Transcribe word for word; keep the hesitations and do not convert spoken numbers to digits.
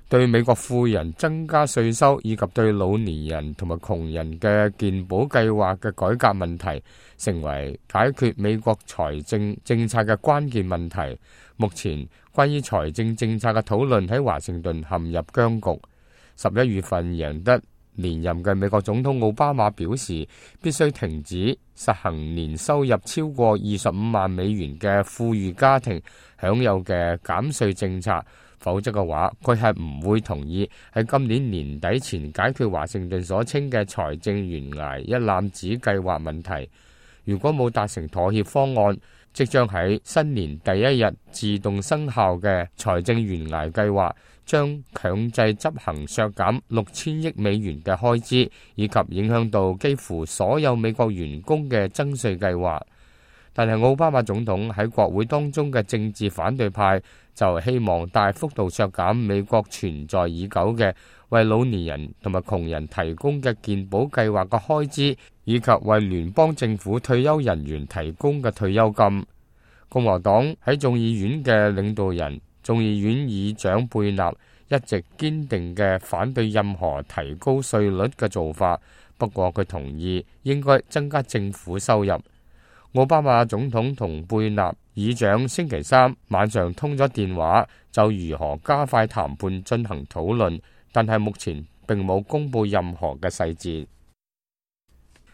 對美國富人增加稅收以及對老年人同埋窮人嘅健保計劃嘅改革問題，成為解決美國財政政策嘅關鍵問題。目前關於財政政策嘅討論喺華盛頓陷入僵局。十一月份贏得連任嘅美國總統奧巴馬表示，必須停止實行年收入超過二十五萬美元嘅富裕家庭享有嘅減稅政策，否則嘅話，佢係唔會同意喺今年年底前解決華盛頓所稱嘅財政懸崖一攬子計劃問題。如果冇達成妥協方案，即將喺新年第一日自動生效嘅財政懸崖計劃，將強制執行削減六千億美元嘅開支，以及影響到幾乎所有美國員工嘅增稅計劃。但係奧巴馬總統喺國會當中嘅政治反對派就希望大幅度削減美國存在已久嘅為老年人同埋窮人提供嘅健保計劃嘅開支，以及為聯邦政府退休人員提供嘅退休金。共和黨喺眾議院嘅領導人眾議院議長貝納一直堅定嘅反對任何提高稅率嘅做法，不過佢同意應該增加政府收入。奧巴馬總統同貝納議長星期三晚上通咗電話，就如何加快談判進行討論，但係目前並冇公布任何嘅細節。